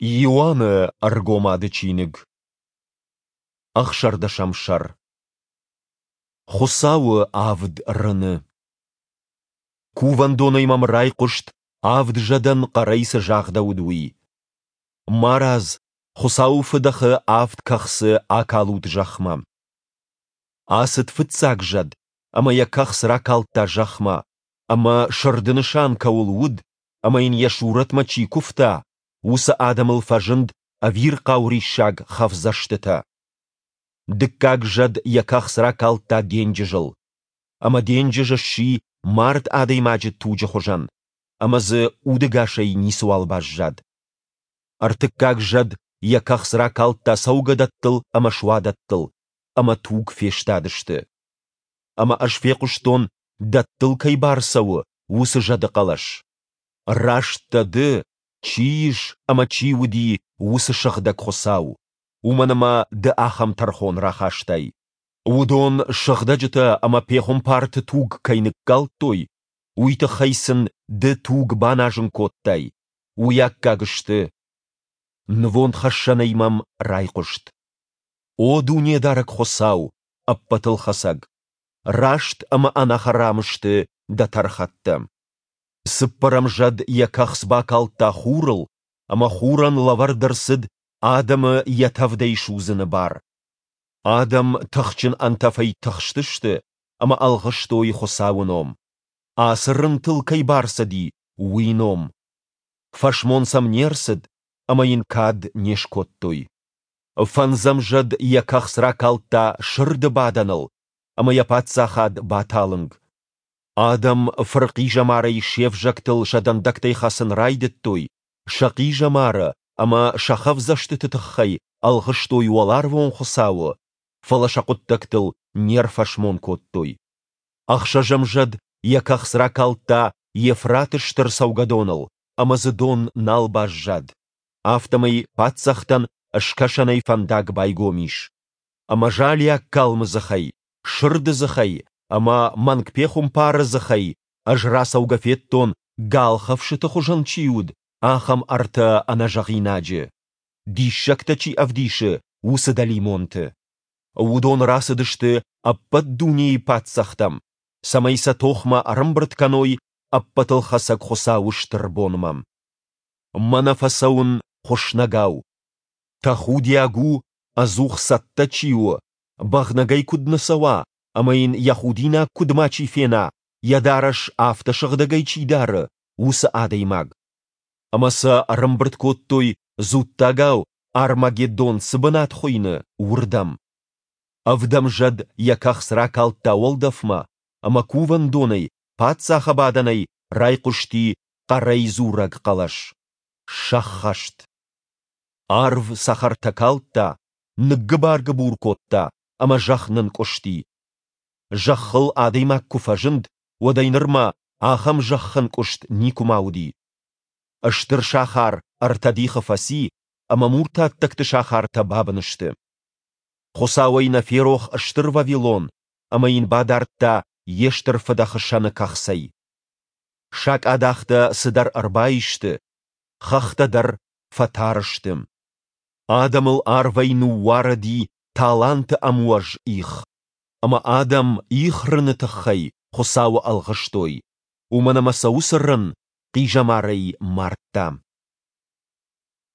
Иоанны Ӕргомады чиныг, ӕхсӕрдӕсӕм сӕр. Хуыцауы авд рыны. Кувӕндонӕй мӕм райхъуыст, авд зӕдӕн хъӕрӕй цы загъдӕуыд, уый. Марадз, Хуыцауы фыдӕхы авд кӕхцы акалут зӕхмӕ. Ацыд фыццаг зӕд ӕмӕ йӕ кӕхц ракалдта зӕхмӕ, ӕмӕ сырды нысан кӕуыл уыд ӕмӕ йын йӕ сурӕтмӕ чи куывта, уыцы адӕмыл фӕзынд ӕвирхъау риссаг хӕфдзӕстытӕ. Дыккаг зӕд йӕ кӕхц ракалдта денджызыл. Ӕмӕ денджыз сси мард адӕймаджы туджы хуызӕн, ӕмӕ дзы удӕгасӕй ницыуал баззад. Ӕртыккаг зӕд йӕ кӕхц ракалдта цӕугӕдӕттыл ӕмӕ суадӕттыл, ӕмӕ туг фестадысты. Ӕмӕ ӕз фехъуыстон, дӕттыл кӕй бар цӕуы, уыцы зӕды хъӕлӕс. Раст дӕ ды, чи ис ӕмӕ чи уыди, уыцы сыгъдӕг Хуыцау, уымӕн ӕмӕ ды ахӕм тӕрхон рахастай. Уыдон сыгъдӕджытӕ ӕмӕ пехуымпарты туг кӕй ныккалдтой, уый тыххӕй сын ды туг баназын кодтай, уый аккаг сты. Нывондхӕссӕнӕй мӕм райхъуыст. О Дунедарӕг Хуыцау, Ӕппӕтылхӕцӕг! Раст ӕмӕ ӕнӕхӕрам сты дӕ тӕрхӕттӕ. Цыппӕрӕм зӕд йӕ кӕхц бакалдта хурыл, ӕмӕ хурӕн лӕвӕрд ӕрцыд адӕмы йӕ тӕвдӕй судзыны бар. Адӕм тыхджын ӕнтӕфӕй тыхстысты ӕмӕ ӕлгъыстой Хуыцауы ном, ацы рынтыл кӕй бар цыди, уый ном. Фӕсмон сӕм не рцыд ӕмӕ йын кад не скодтой. Фӕндзӕм зӕд йӕ кӕхц ракалдта сырды бадӕныл, ӕмӕ йӕ паддзахад баталынг. Адӕм фырхъизӕмарӕй се взӕгтыл сӕ дӕндӕгтӕй хӕцын райдыдтой, сӕ хъизӕмары ӕмӕ сӕ хӕвдзӕстыты тыххӕй ӕлгъыстой уӕларвон Хуыцауы, фӕлӕ сӕ хъуыддӕгтыл не рфӕсмон кодтой. Ӕхсӕзӕм зӕд йӕ кӕхц ракалдта Евфраты стыр цӕугӕдоныл, ӕмӕ дзы дон нал баззад. Афтӕмӕй паддзӕхтӕн скӕсӕнӕй фӕндаг байгом ис. Ӕмӕ залиаг калмы дзыхӕй, сырды дзыхӕй ӕмӕ мӕнгпехуымпары дзыхӕй ӕз рацӕугӕ федтон, галхӕфсыты хуызӕн чи уыд, ахӕм ӕртӕ ӕнӕзӕгъинаджы, диссӕгтӕ чи ӕвдисы, уыцы дӕлимонты. Уыдон рацыдысты ӕппӕт дунейы паддзӕхтӕм, цӕмӕй сӕ тохмӕ ӕрӕмбырд кӕной Ӕппӕтылхӕцӕг Хуыцауы стыр бонмӕ. Мӕнӕ фӕцӕуын хуыснӕгау. Тӕхудиаг у, ӕдзух цӕттӕ чи у, бӕгънӕгӕй куыд нӕ цӕуа ӕмӕ йын йӕ худинаг куыд мачи фена, йӕ дарӕс афтӕ сыгъдӕгӕй чи дары, уыцы адӕймаг. Ӕмӕ сӕ ӕрӕмбырд кодтой, дзуттагау Армагеддон цы бынат хуыйны, уырдӕм. Ӕвдӕм зӕд йӕ кӕхц ракалдта уӕлдӕфмӕ, ӕмӕ кувӕндонӕй, паддзахы бадӕнӕй райхъуысти хъӕрӕй дзурӕг хъӕлӕс. Сӕххӕст! Арв цӕхӕртӕ калдта, ныггыбар-гыбур кодта ӕмӕ зӕхх нынкъуысти. Зӕххыл адӕймаг куы фӕзынд, уӕдӕй нырмӕ ахӕм зӕххӕнкъуыст никуыма уыди. Стыр сахар ӕртӕ дихы фӕци ӕмӕ муртаттӕгты сахартӕ бабын сты. Хуыцауӕй нӕ ферох Стыр Вавилон ӕмӕ йын бадардта йе стыр фыдӕхы сӕны кӕхцӕй. Сакъадӕхтӕ цыдӕр ӕрбаисты, хӕхтӕ дӕр фӕтар сты. Адӕмыл арвӕй ныууарыди таланты ӕмуӕз их, ӕмӕ адӕм их рыны тыххӕй Хуыцауы ӕлгъыстой, уымӕн ӕмӕ сӕ уыцы рын хъизӕмарӕй мардта.